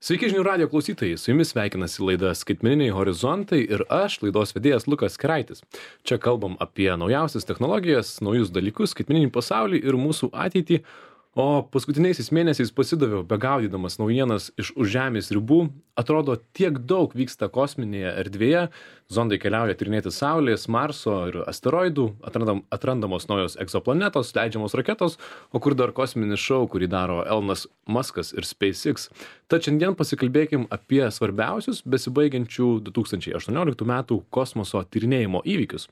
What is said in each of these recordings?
Sveiki žinių radijo klausytojai, su jumis sveikinasi laida Skaitmeniniai horizontai ir aš, laidos vedėjas Lukas Keraitis. Čia kalbam apie naujausias technologijas, naujus dalykus, skaitmeninį pasaulį ir mūsų ateitį, o paskutiniaisiais mėnesiais pasidaviau begaudydamas naujienas iš už Žemės ribų. Atrodo, tiek daug vyksta kosminėje erdvėje, zondai keliauja tyrinėti Saulės, Marso ir asteroidų, atrandamos naujos egzoplanetos, leidžiamos raketos, o kur dar kosminis šou, kurį daro Elonas Muskas ir SpaceX. Tad šiandien pasikalbėkim apie svarbiausius besibaigiančių 2018 metų kosmoso tyrinėjimo įvykius.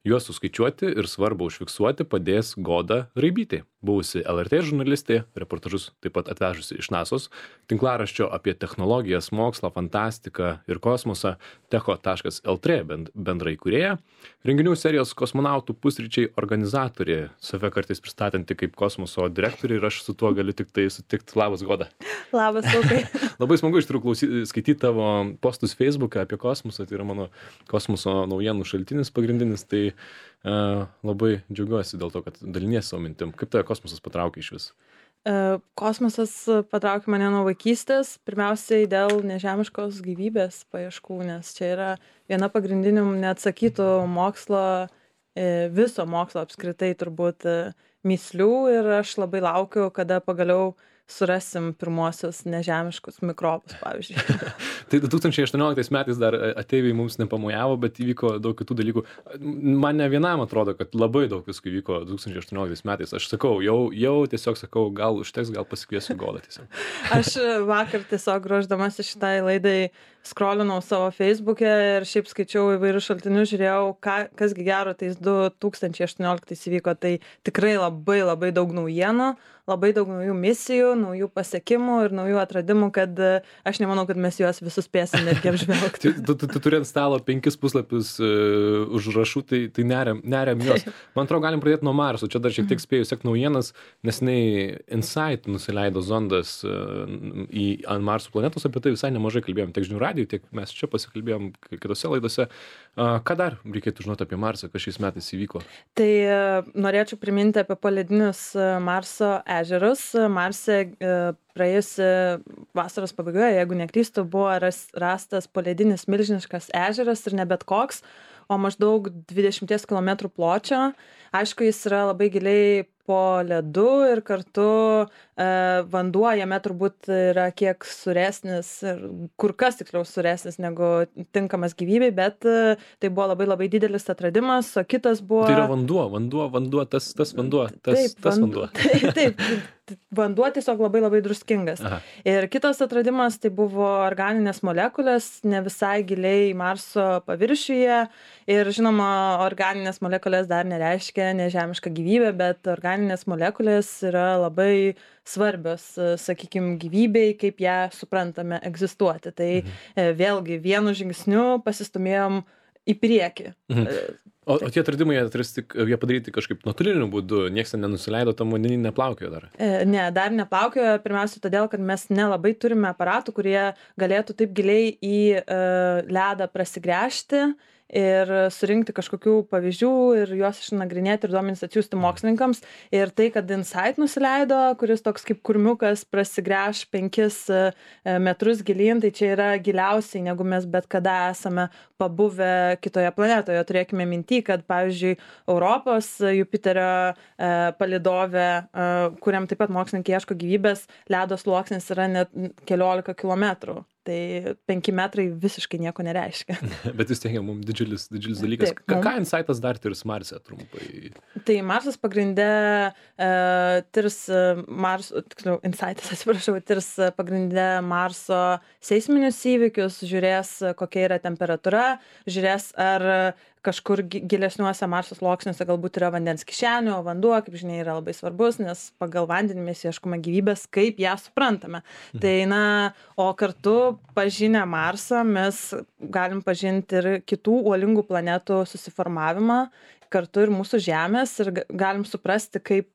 Juos suskaičiuoti ir svarbu užfiksuoti padės Goda Raibytė, buvusi LRT žurnalistė, reportažus taip pat atvežusi iš NASO's, tinklaraščio apie technologijas, mokslą, fantastiką ir kosmosą techo.lt bendraįkūrėja, renginių serijos Kosmonautų pusryčiai organizatorė, save kartais pristatanti kaip kosmoso direktorė, ir aš su tuo galiu tik tai sutikti. Labas, Goda. Labas, Lukai. Labai smagu iš tikrųjų skaityti tavo postus Facebook'e apie kosmosą, tai yra mano kosmoso naujienų šaltinis pagrindinis, tai labai džiaugiuosi dėl to, kad daliniesi savo mintim. Kaip tave kosmosas patraukė iš vis? Kosmosas patraukė mane nuo vaikystės, pirmiausiai dėl nežemiškos gyvybės paieškų, nes čia yra viena pagrindinių neatsakytų mokslo, viso mokslo apskritai turbūt mįslių, ir aš labai laukiu, kada pagaliau surasim pirmosius nežemiškus mikrobus, pavyzdžiui. Tai 2018 metais dar ateiviai mums nepamojavo, bet įvyko daug kitų dalykų. Man ne vienam atrodo, kad labai daug visko įvyko 2018 metais. Aš sakau, jau tiesiog sakau, gal užteks, gal pasikviesiu Godą tiesiog. Aš vakar tiesiog ruošdamasi šitai laidai skrolinau savo Facebook'e ir šiaip skaičiau įvairius šaltinius, žiūrėjau, kasgi gero tais 2018 įvyko. Tai tikrai labai daug naujienų, labai daug naujų misijų, naujų pasiekimų ir naujų atradimų, kad aš nemanau, kad mes juos visus spėsim netgi apžvelgti. Tu turi ant stalo 5 puslapius užrašų, tai neriam juos. Man atrodo, galim pradėti nuo Marso. Čia dar šiek tiek spėjau sekti naujienas, nes InSight nusileido zondas ant Marso planetos, apie tai visai nemažai kalbėjom tiek žinių radijų, tiek mes čia pasikalbėjom kitose laidose. Ką dar reikėtų žinoti apie Marsą, kas šiais metais įvyko? Tai norėčiau priminti apie poledinius Marso ežerus. Marse praėjusi vasaros pabaigoje, jeigu neklystu, buvo rastas poledinis milžiniškas ežeras, ir ne bet koks, o maždaug 20 km pločio. Aišku, jis yra labai giliai po ledu ir kartu vanduo jame turbūt yra kiek suresnis, kur kas tiksliau suresnis negu tinkamas gyvybei, bet tai buvo labai didelis atradimas, o kitas buvo... Tai yra vanduo, tas vanduo. Taip, vanduo tiesiog labai druskingas. Aha. Ir kitas atradimas tai buvo organinės molekulės, ne visai giliai Marso paviršiuje. Ir žinoma, organinės molekulės dar nereiškia nežemišką gyvybę, bet organinės molekulės yra labai svarbios, sakykime, gyvybei, kaip ją suprantame egzistuoti. Tai vėlgi vienu žingsniu pasistumėjom į priekį. O tie atradimai jie padaryti kažkaip nuotoliniu būdu, nieks nenusileido, tam vandenį neplaukiojo dar? Ne, dar neplaukiojo, pirmiausia todėl, kad mes nelabai turime aparatų, kurie galėtų taip giliai į ledą prasigręžti ir surinkti kažkokių pavyzdžių ir juos išnagrinėti ir duomenis atsiųsti mokslininkams. Ir tai, kad InSight nusileido, kuris toks kaip kurmiukas prasigręš 5 metrus gilyn, tai čia yra giliausiai, negu mes bet kada esame pabuvę kitoje planetoje. Turėkime minty, kad pavyzdžiui Europos Jupiterio palydove, kuriam taip pat mokslininkai ieško gyvybės, ledo sluoksnis yra net keliolika kilometrų. Tai 5 metrai visiškai nieko nereiškia. Bet vis tiek mums didžiulis dalykas. Taip, Ką InSightas dar tirs Marse trumpai? Tai Marsas pagrinde tirs tirs pagrinde Marso seisminius įvykius, žiūrės, kokia yra temperatūra, žiūrės, ar kažkur gilesniuose Marso sluoksniuose galbūt yra vandens kišenių, o vanduo, kaip žinia, yra labai svarbus, nes pagal vandenį mes ieškome gyvybės, kaip ją suprantame. Tai o kartu pažinę Marsą mes galim pažinti ir kitų uolingų planetų susiformavimą kartu ir mūsų Žemės ir galim suprasti, kaip,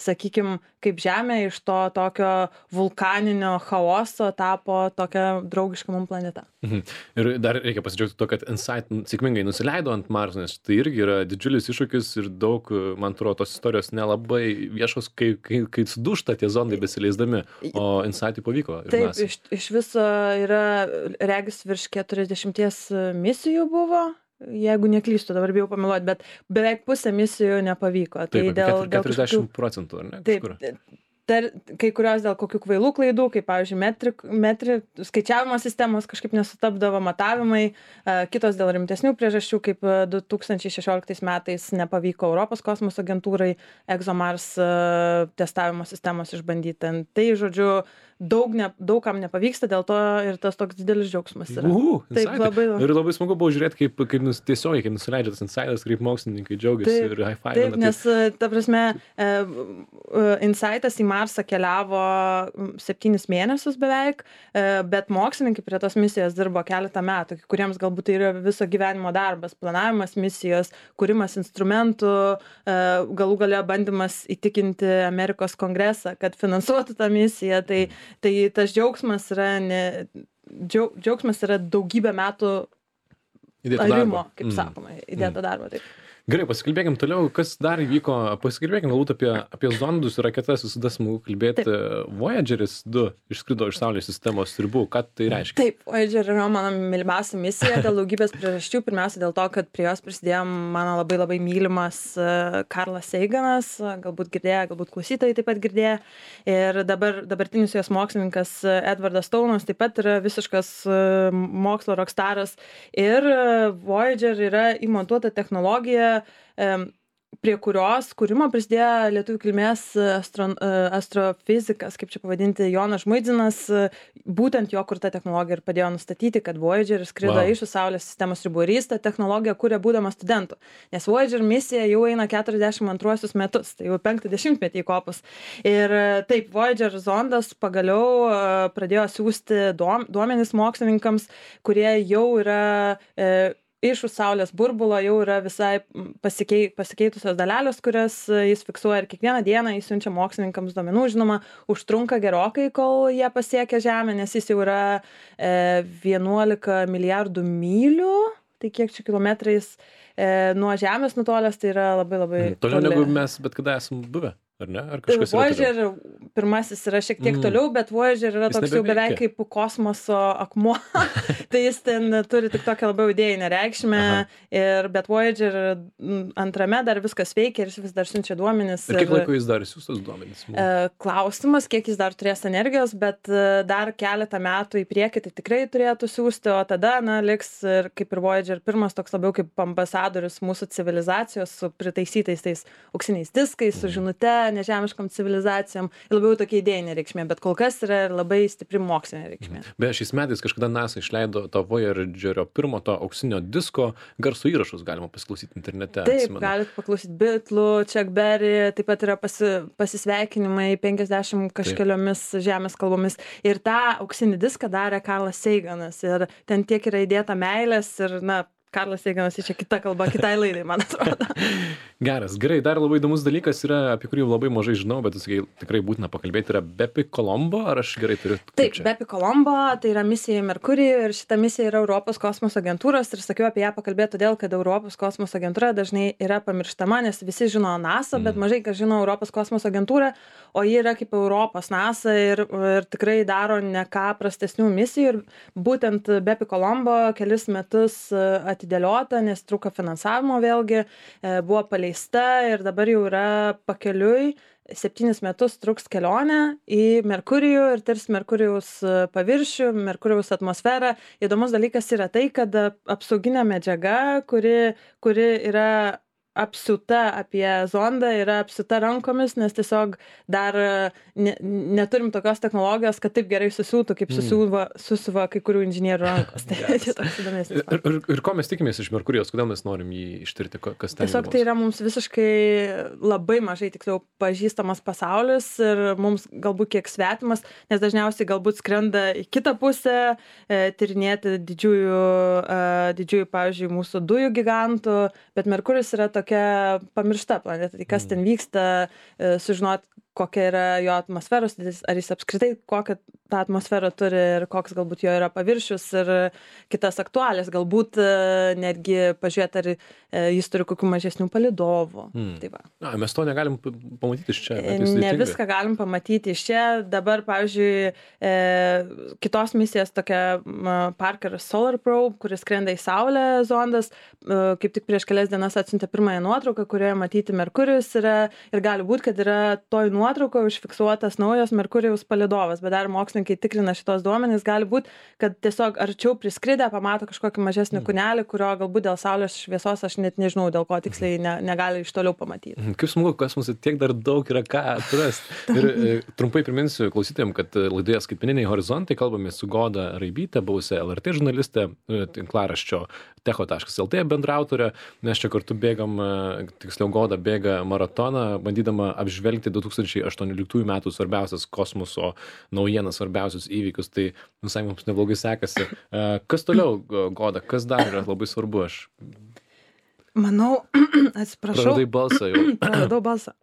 sakykime, kaip Žemė iš to tokio vulkaninio chaoso tapo tokia draugiška mums planeta. Ir dar reikia pasidžiaugti to, kad InSight sėkmingai nusileido ant Marso, nes tai irgi yra didžiulis iššūkis ir daug, man atrodo, tos istorijos nelabai viešos, kai sudūžta tie zondai besileisdami, o InSight'ui pavyko. Taip, iš viso yra regis virš 40 misijų buvo. Jeigu neklystu, dabar bijau pameluoti, bet beveik pusė misijų nepavyko. Taip, tai dėl 40%, ar ne? Taip, kai kurios dėl kokių kvailų klaidų, kaip, pavyzdžiui, skaičiavimo sistemos kažkaip nesutapdavo matavimai, kitos dėl rimtesnių priežasčių, kaip 2016 metais nepavyko Europos kosmoso agentūrai ExoMars testavimo sistemos išbandyti. Tai, žodžiu, daug kam nepavyksta, dėl to ir tas toks didelis džiaugsmas yra. Taip, ir labai smagu buvo žiūrėti, kaip tiesiogiai, kaip nusileidžia tas InSightas, kaip mokslininkai džiaugiasi ir high-five. Taip, nes, ta prasme, InSightas į Marsą keliavo 7 mėnesius beveik, bet mokslininkai prie tos misijos dirbo keletą metų, kuriems galbūt tai yra viso gyvenimo darbas, planavimas misijos, kūrimas instrumentų, galų gale bandymas įtikinti Amerikos kongresą, kad finansuotų tą misiją. Tai tas džiaugsmas yra daugybę metų arimo, kaip sakoma, įdėto darbo. Taip. Gerai, pasikalbėkim toliau, kas dar įvyko, pasikalbėkim galbūt apie zondus ir raketas, visada smagu kalbėti. Voyageris 2 išskrido iš Saulės sistemos ribų, ką tai reiškia? Taip, Voyager yra mano mylimiausia misija dėl daugybės priežasčių, pirmiausia dėl to, kad prie jos prisidėjo mano labai mylimas Karlas Saganas, galbūt girdėjo, galbūt klausytojai taip pat girdėjo, ir dabartinis jos mokslininkas Edvardas Stounas taip pat yra visiškas mokslo rockstaras, ir Voyager yra įmontuota technologija, prie kurios kūrimo prisidėjo lietuvių kilmės astrofizikas, kaip čia pavadinti, Jonas Žmuidzinas, būtent jo kurta technologija ir padėjo nustatyti, kad Voyager skrido iš Saulės sistemos ribų, ir jis tą technologiją kūrė būdamas studentu, nes Voyager misija jau eina 42 metus, tai jau 50-metį įkopus. Ir taip, Voyager zondas pagaliau pradėjo siųsti duomenis mokslininkams, kurie jau yra iš už Saulės burbulo, jau yra visai pasikeitusios dalelės, kurias jis fiksuoja, ir kiekvieną dieną jis siunčia mokslininkams duomenų. Žinoma, užtrunka gerokai, kol jie pasiekia Žemę, nes jis jau yra 11 milijardų mylių, tai kiek čia kilometrais nuo Žemės nutolęs, tai yra labai toliau negu mes bet kada esam buvę. Ar ne? Ar kažkas Voyager pirmasis yra šiek tiek toliau, bet Voyager yra toks jau beveik kaip kosmoso akmuo. Tai jis ten turi tik tokią labiau idėjinę reikšmę, bet Voyager antrame dar viskas veikia ir jis vis dar siunčia duomenis. Ir kiek laiko jis dar siųstas duomenis? Klausimas, kiek jis dar turės energijos, bet dar keletą metų į priekį tai tikrai turėtų siųsti, o tada, liks ir kaip ir Voyager pirmas toks labiau kaip ambasadorius mūsų civilizacijos su pritaisytais tais auksiniais diskais, su žinute, nežemiškom civilizacijom, labiau tokia idėjinė reikšmė, bet kol kas yra labai stipri mokslinė reikšmė. Beje, šiais metais kažkada NASA išleido to Voyagerio pirmo to auksinio disko garso įrašus, galima pasiklausyti internete. Taip, galite paklausyti Beatlų, Chuck Berry, taip pat yra pasisveikinimai 50 kažkeliomis žemės kalbomis. Ir tą auksinį diską darė Karlas Saganas. Ir ten tiek yra įdėta meilės ir, Karlas Saganas čia kita kalba, kitai laidai, man atrodo. Geras, gerai, dar labai įdomus dalykas yra, apie kurį labai mažai žinau, bet tikrai būtina pakalbėti, yra Bepi Colombo, ar aš gerai turiu? Taip, Bepi Colombo, tai yra misija į Merkurijų, ir šita misija yra Europos kosmoso agentūros, ir sakiau apie ją pakalbėti todėl, kad Europos kosmoso agentūra dažnai yra pamirštama, nes visi žino NASA, bet mažai kas žino Europos kosmoso agentūrą, o ji yra kaip Europos NASA ir tikrai daro ne ką prastesnių misijų, ir būtent Bepi Colombo kelis metus atidėliota, nes trūko finansavimo vėlgi, buvo paleista ir dabar jau yra pakeliui. 7 metus truks kelionė į Merkurijų ir tirs Merkurijaus paviršių, Merkurijaus atmosferą. Įdomus dalykas yra tai, kad apsauginė medžiaga, kuri yra apsiūta apie zondą, yra apsiūta rankomis, nes tiesiog dar neturim tokios technologijos, kad taip gerai susiūtų, kaip susiuva kai kurių inžinierių rankos. Tai toks įdomesnis. Ir ko mes tikimės iš Merkurijos, kodėl mes norim jį ištirti, kas ten? Tiesiog tai yra mums visiškai labai mažai, tiksliau, pažįstamas pasaulis ir mums galbūt kiek svetimas, nes dažniausiai galbūt skrenda į kitą pusę, tyrinėti didžiųjų, pavyzdžiui, mūsų dujų gigantų, bet Merkurijus yra tokia tokia pamiršta planeta. Tai kas ten vyksta, sužinot, kokia yra jo atmosferos, ar jis apskritai kokią tą atmosferą turi ir koks galbūt jo yra paviršius ir kitas aktualės. Galbūt netgi pažiūrėti, ar jis turi kokių mažesnių palydovų. Tai va. Mes to negalim pamatyti iš čia. Ne viską galim pamatyti iš čia. Dabar, pavyzdžiui, kitos misijos tokia Parker Solar Probe, kuris skrenda į Saulę zondas, kaip tik prieš kelias dienas atsiuntė pirmąją nuotrauką, kurioje matyti Merkurijus yra ir gali būti, kad yra toj nuotraukoje užfiksuotas naujas Merkurijaus palydovas, bet dar mokslininkai tikrina šitos duomenys, gali būti, kad tiesiog arčiau priskridę pamato kažkokį mažesnį kūnelį, kurio galbūt dėl saulės šviesos aš net nežinau, dėl ko tiksliai negali iš toliau pamatyti. Kaip smagu, kas mums tiek dar daug yra ką atrasti. Ir trumpai priminsiu klausytojams, kad laidoje Skaitmeniniai horizontai kalbame su Goda Raibyte, buvusia LRT žurnalistė, tinklaraščio techo.lt bendraautorė. Mes čia kartu bėgam, tiksliau Goda bėga maratoną, bandydama apžvelgti 2018 metų svarbiausias kosmoso naujienas, svarbiausius įvykius. Tai visai mums neblogai sekasi. Kas toliau, Goda, kas dar yra labai svarbu? Aš manau, atsiprašau. praradai balsą jau. Praradau balsą.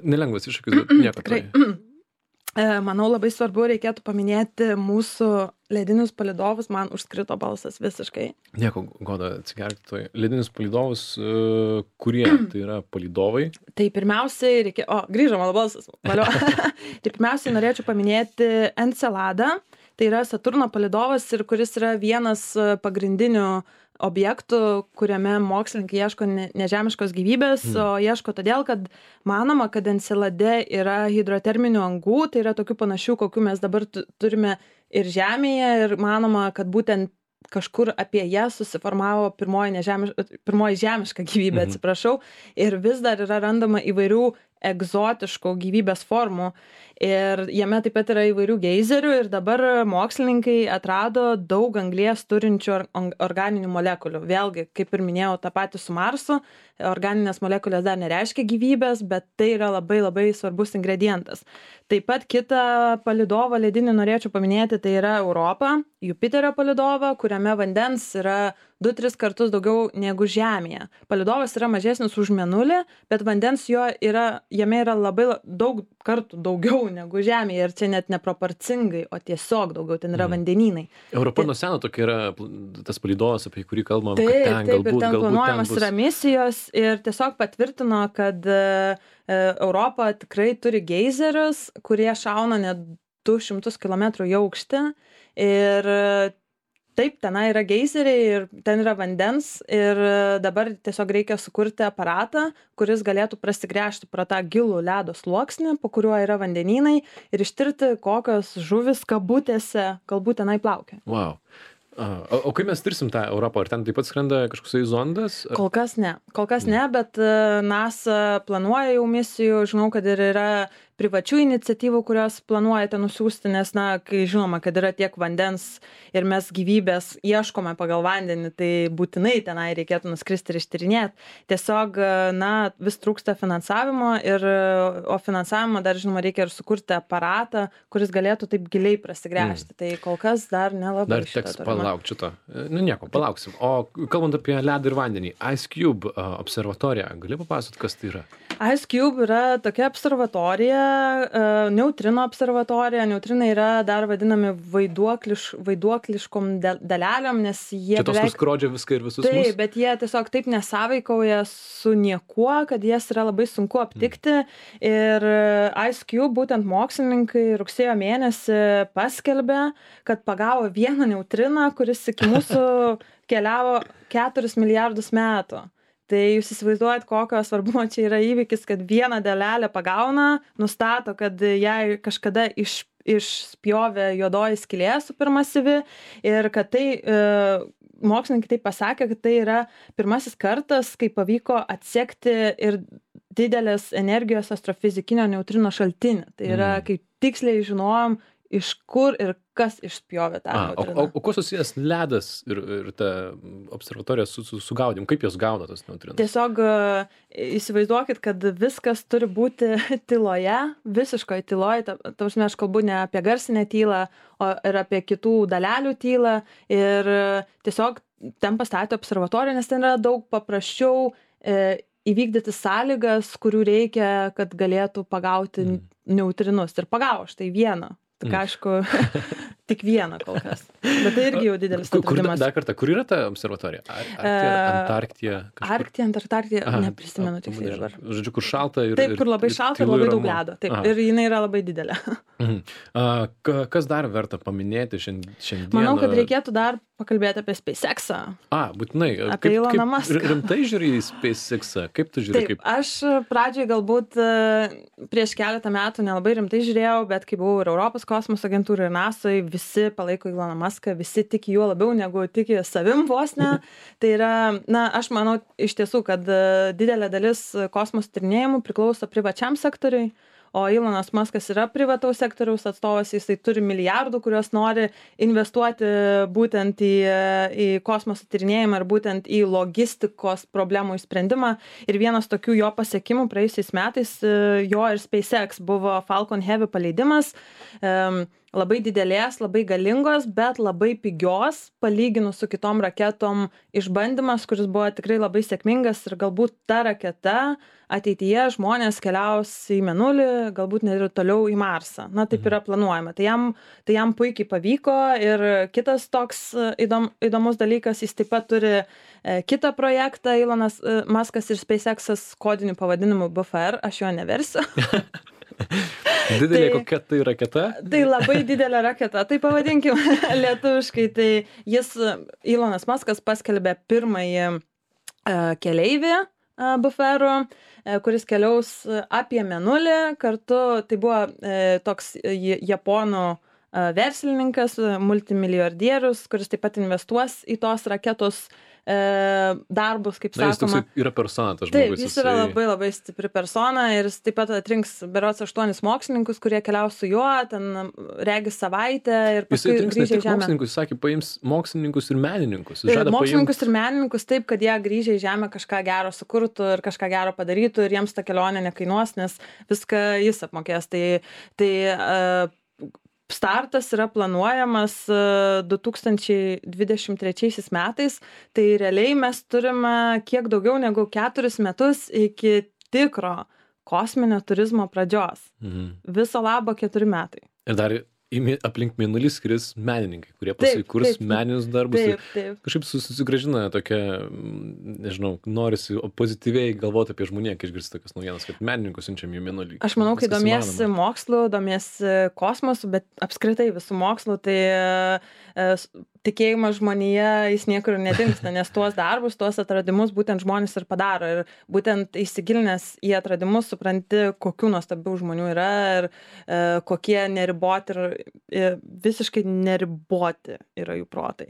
Nelengvas iššūkis, bet nieko. Tikrai. Manau, labai svarbu reikėtų paminėti mūsų ledinius palydovus. Man užskrito balsas visiškai. Nieko, Goda, atsigerti toj. Ledinius palydovus, kurie tai yra palydovai? Tai pirmiausiai reikia... grįžo mano balsas. Tai pirmiausiai norėčiau paminėti Enceladą. Tai yra Saturno palydovas ir kuris yra vienas pagrindinių objektų, kuriame mokslininkai ieško nežemiškos gyvybės, o ieško todėl, kad manoma, kad Encelade yra hidroterminių angų, tai yra tokių panašių, kokių mes dabar turime ir Žemėje, ir manoma, kad būtent kažkur apie ją susiformavo pirmoji žemiška gyvybė, atsiprašau, ir vis dar yra randama įvairių egzotiškų gyvybės formų. Ir jame taip pat yra įvairių geizerių ir dabar mokslininkai atrado daug anglies turinčių organinių molekulių. Vėlgi, kaip ir minėjau, tą patį su Marsu, organinės molekulės dar nereiškia gyvybės, bet tai yra labai labai svarbus ingredientas. Taip pat kitą palydovą ledinį norėčiau paminėti, tai yra Europa, Jupiterio palydovą, kuriame vandens yra 2-3 kartus daugiau negu Žemėje. Palydovas yra mažesnis už Mėnulį, bet vandens jame yra labai daug kartų daugiau negu Žemėje ir čia net neproporcingai, o tiesiog daugiau, ten yra vandenynai. Europa nuo seno tokia yra tas palydovas, apie kurį kalbam, taip, kad ten galbūt planuojamas yra misijos ir tiesiog patvirtino, kad Europa tikrai turi geizerius, kurie šauna net 200 km į aukštį ir taip, tenai yra geizeriai ir ten yra vandens ir dabar tiesiog reikia sukurti aparatą, kuris galėtų prasigręžti pro tą gilų ledo sluoksnį, po kuriuo yra vandenynai ir ištirti, kokios žuvis kabutėse galbūt tenai plaukia. Wow. O kaip mes tirsim tą Europą? Ar ten taip pat skrenda kažkoksai zondas? Kol kas ne, bet NASA planuoja jau misijų, žinau, kad ir yra privačių iniciatyvų, kurios planuojate nusiųsti, nes, kai žinoma, kad yra tiek vandens ir mes gyvybės ieškome pagal vandenį, tai būtinai tenai reikėtų nuskristi ir ištyrinėti. Tiesiog, vis trūksta finansavimo, o finansavimo dar, žinoma, reikia ir sukurti aparatą, kuris galėtų taip giliai prasigręžti. Tai kol kas dar nelabai. Dar teks palaukti šito. Nieko, palauksim. O kalbant apie ledą ir vandenį, IceCube observatorija, gali papasakoti, kas tai yra? IceCube yra tokia observatorija, neutrino observatorija. Neutrinai yra dar vadinami vaiduokliškom dalelėm, nes jie čia tos nuskrodžia viską ir visus mus? Taip, bet jie tiesiog taip nesąveikauja su niekuo, kad jas yra labai sunku aptikti. Ir IceCube, būtent mokslininkai rugsėjo mėnesį paskelbė, kad pagavo vieną neutriną, kuris iki mūsų keliavo 4 milijardus metų. Tai jūs įsivaizduojat, kokio svarbumo čia yra įvykis, kad vieną dalelę pagauna, nustato, kad jai kažkada išspjovė juodoji skylė supermasyvi ir kad tai, mokslininkai taip pasakė, kad tai yra pirmasis kartas, kai pavyko atsekti ir didelės energijos astrofizikinio neutrino šaltinį. Tai yra, kai tiksliai žinojom, iš kur ir kas išspjovė tą neutriną. O kuo susijęs ledas ir ta observatorija su gaudymu? Kaip jos gaudo tas neutrinas? Tiesiog įsivaizduokit, kad viskas turi būti tyloje, visiškoje tyloje. Aš kalbu ne apie garsinę tylą, o ir apie kitų dalelių tylą. Ir tiesiog ten pastatė observatoriją, nes ten yra daug paprasčiau įvykdyti sąlygas, kurių reikia, kad galėtų pagauti neutrinus. Ir pagavo štai vieną. Tik aišku, tik vieną kol kas. Bet tai irgi jau didelis atradimas. Dar kartą, kur yra ta observatorija? Antarktija? Arktija, Antarktija, neprisimenu tiksliai dabar. Žodžiu, kur šalta ir... Taip, kur labai šalta ir labai daug ledo. Taip, ir jinai yra labai didelė. Kas dar verta paminėti šiandieną? Manau, kad reikėtų dar pakalbėti apie SpaceX'ą. Būtinai. Apie Eloną Muską. Rimtai žiūri į SpaceX'ą? Kaip tu žiūri? Taip, aš pradžioj galbūt prieš keletą metų nelabai rimtai žiūrėjau, bet kai buvau ir Europos kosmoso agentūrai ir NASA'oj, visi palaiko Eloną Muską, visi tiki juo labiau negu tiki savim vos ne. Tai yra, aš manau iš tiesų, kad didelė dalis kosmoso tyrinėjimų priklauso privačiam sektoriui, o Elonas Muskas yra privataus sektoriaus atstovas, jisai turi milijardų, kuriuos nori investuoti būtent į kosmoso tyrinėjimą ir būtent į logistikos problemų išsprendimą. Ir vienas tokių jo pasiekimų praėjusiais metais, jo ir SpaceX buvo Falcon Heavy paleidimas. Labai didelės, labai galingos, bet labai pigios, palyginus su kitom raketom išbandymas, kuris buvo tikrai labai sėkmingas ir galbūt ta raketa ateityje žmonės keliaus į Mėnulį, galbūt net ir toliau į Marsą. Taip yra planuojama. Tai jam puikiai pavyko ir kitas toks įdomus dalykas, jis taip pat turi kitą projektą, Elonas Muskas ir SpaceX'as kodiniu pavadinimu BFR, aš jo neversiu. Didelė kokia tai raketa? Tai labai didelė raketa, tai pavadinkim lietuviškai. Tai Elonas Muskas paskelbė pirmąjį keleivį BFR-ų, kuris keliaus apie Mėnulį. Kartu tai buvo toks japonų verslininkas, multimilijardierius, kuris taip pat investuos į tos raketos darbus, kaip sakoma. Jis yra persona, tas Taip, žmogus. jis yra labai labai stipri persona ir jis taip pat atrinks berods 8 mokslininkus, kurie keliaus su juo, ten regis savaitę ir paskui grįžę į Žemę. Mokslininkus, jis sakė, paims mokslininkus ir menininkus. Mokslininkus ir menininkus taip, kad jie grįžę į Žemę kažką gero sukurtų ir kažką gero padarytų ir jiems ta kelionė nekainuos, nes viską jis apmokės. Tai startas yra planuojamas 2023 metais, tai realiai mes turime kiek daugiau negu 4 metus iki tikro kosminio turizmo pradžios. Viso labo 4 metai. Ir dar aplink Mėnulį skris menininkai, kurie pasikurs meninius darbus. Taip. Kažkaip susigražina tokia, nežinau, norisi pozityviai galvoti apie žmoniją, kai išgirsti tokias naujienas, kad menininkus siunčiam į Mėnulį. Aš manau, kai domiesi mokslu, domiesi kosmosu, bet apskritai visų mokslu, tai tikėjimas žmonėje, jis niekur nedingsta, nes tuos darbus, tuos atradimus būtent žmonės ir padaro. Ir būtent įsigilinęs į atradimus supranti, kokių nuostabių žmonių yra ir kokie neriboti ir visiškai neriboti yra jų protai.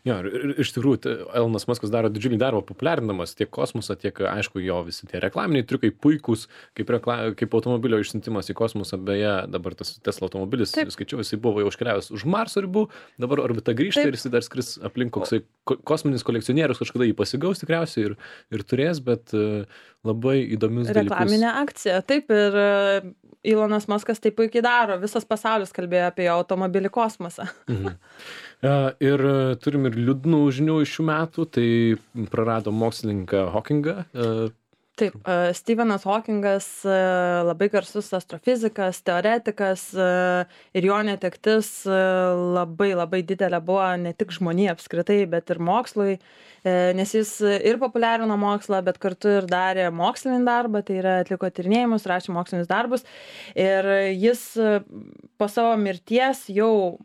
Jo, ir iš tikrųjų, Elonas Muskas daro didžiulį darbą populiarindamas tiek kosmosą, tiek, aišku, jo visi tie reklaminiai triukai puikūs, kaip automobilio išsiuntimas į kosmosą. Beje, dabar tas Tesla automobilis, skaičiau, jisai buvo jau iškeliavęs už Marso ribų, dabar orbita grįžta ir jisai dar skris aplink koksai kosminis kolekcionierius, kažkada jį pasigaus tikriausiai ir turės, bet labai įdomius dalykus. Reklaminė akcija, taip, ir Elonas Muskas taip puikiai daro, visas pasaulis kalbėjo apie jo automobilį kosmosą. Ir turim ir liūdnų žinių iš šių metų, tai prarado mokslininką Hawkingą. Taip, Stephenas Hawkingas, labai garsus astrofizikas, teoretikas ir jo netektis labai labai didelė buvo ne tik žmonijai apskritai, bet ir mokslui, nes jis ir populiarino mokslą, bet kartu ir darė mokslinį darbą, tai yra atliko tyrinėjimus, rašė mokslinius darbus ir jis po savo mirties jau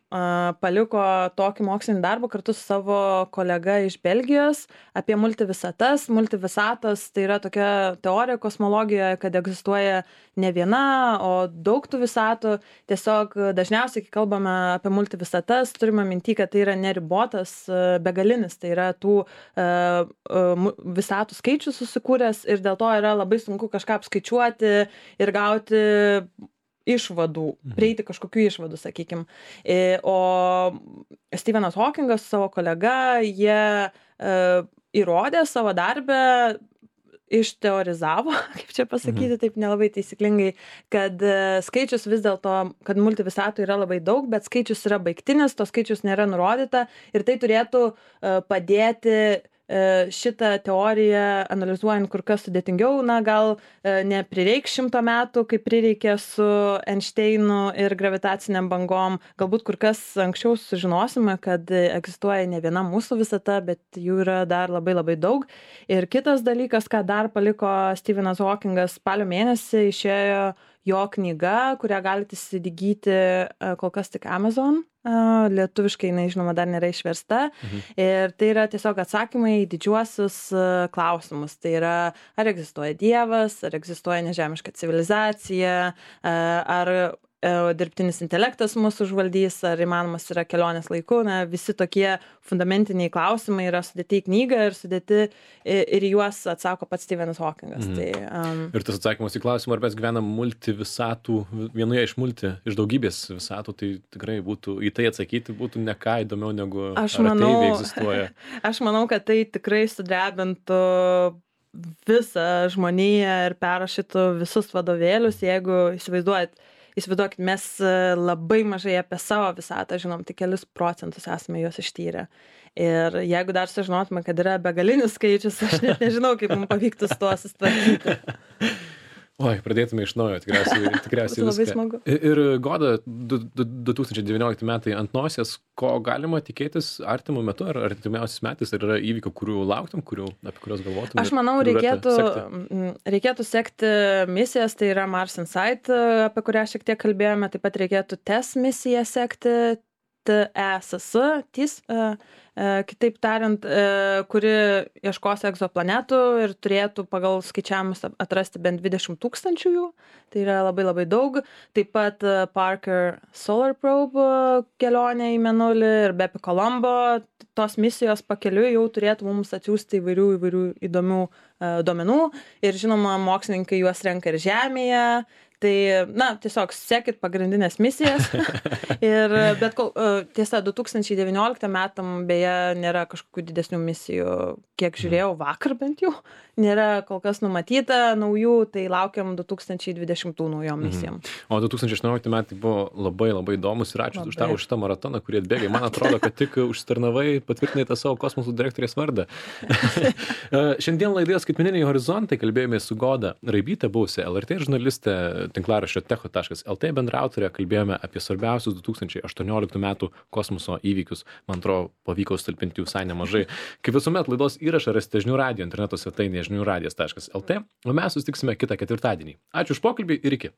paliko tokį mokslinį darbą kartu su savo kolega iš Belgijos apie multivisatas. Multivisatos tai yra tokia teorija kosmologijoje, kad egzistuoja ne viena, o daug tų visatų. Tiesiog dažniausiai, kai kalbame apie multivisatas, turime minty, kad tai yra neribotas, begalinis, tai yra tų visatų skaičius susikūręs ir dėl to yra labai sunku kažką apskaičiuoti ir gauti išvadų, prieiti kažkokių išvadų, sakykim. O Stephenas Hawkingas su savo kolega, jie įrodė savo darbę išteorizavo, kaip čia pasakyti, taip nelabai taisyklingai, kad skaičius vis dėlto, kad multivisatų yra labai daug, bet skaičius yra baigtinis, to skaičius nėra nurodyta ir tai turėtų padėti šitą teoriją analizuojant kur kas sudėtingiau, na gal neprireiks 100 metų, kaip prireikė su Einšteinu ir gravitaciniam bangom, galbūt kur kas anksčiau sužinosime, kad egzistuoja ne viena mūsų visata, bet jų yra dar labai labai daug. Ir kitas dalykas, ką dar paliko Stephenas Hawkingas, spalio mėnesį išėjo jo knyga, kurią galite įsigyti kol kas tik Amazon. Lietuviškai, žinoma, dar nėra išversta. Ir tai yra tiesiog atsakymai į didžiuosius klausimus. Tai yra, ar egzistuoja Dievas, ar egzistuoja nežemiška civilizacija, ar dirbtinis intelektas mūsų užvaldys, ar įmanomas yra kelionės laiku. Na, visi tokie fundamentiniai klausimai yra sudėti į knygą ir sudėti ir juos atsako pats Stephenas Hawkingas. Tai, Ir tas atsakymas į klausimą, ar mes gyvenam multivisatų, vienoje iš daugybės visatų, tai tikrai būtų, į tai atsakyti būtų ne ką įdomiau negu ateiviai egzistuoja. Aš manau, kad tai tikrai sudrebintų visą žmoniją ir perrašytų visus vadovėlius, jeigu įsivaizduokit, mes labai mažai apie savo visatą žinom, tik kelis procentus esame juos ištyrę. Ir jeigu dar sužinotume, kad yra begalinis skaičius, aš net nežinau, kaip mums pavyktų su tuo susitvarkyti. Oi, pradėtume iš naujo, tikriausiai labai smagu. Ir Goda, 2019 metai ant nosies, ko galima tikėtis artimu metu ar artimiausiais metais, ar yra įvykių, kurių lauktum, apie kuriuos galvotum? Aš manau, reikėtų sekti misijas, tai yra Mars Insight, apie kurią šiek tiek kalbėjome, taip pat reikėtų TESS misiją sekti, TESS, kitaip tariant, kuri ieškos egzoplanetų ir turėtų pagal skaičiavimus atrasti bent 20 000 jų. Tai yra labai labai daug. Taip pat Parker Solar Probe kelionė į Mėnulį ir Bepi Colombo. Tos misijos pakeliui jau turėtų mums atsiųsti įvairių įdomių duomenų. Ir žinoma, mokslininkai juos renka ir Žemėje. Tai, tiesiog sekit pagrindinės misijas. Bet tiesa, 2019 metam beje nėra kažkokių didesnių misijų, kiek žiūrėjau vakar bent jau, nėra kol kas numatyta naujų, tai laukiam 2020 naujom misijom. O 2018 metai buvo labai labai įdomus ir ačiū už šitą maratoną, kurį atbėgai. Man atrodo, kad tik užsitarnavai, patvirtinai tą savo kosmosų direktorės vardą. Šiandien laidoje Skaitmeniniai horizontai kalbėjome su Goda Raibyte, buvusia LRT žurnalistė, tinklaraščio techo.lt bendraautorė, kalbėjome apie svarbiausius 2018 metų kosmoso įvykius. Man atrodo, pavyko sutalpinti visai nemažai. Kaip visuomet, laidos įrašą rasite žinių radijo interneto svetainėje žiniųradijas.lt, o mes susitiksime kitą ketvirtadienį. Ačiū už pokalbį ir iki.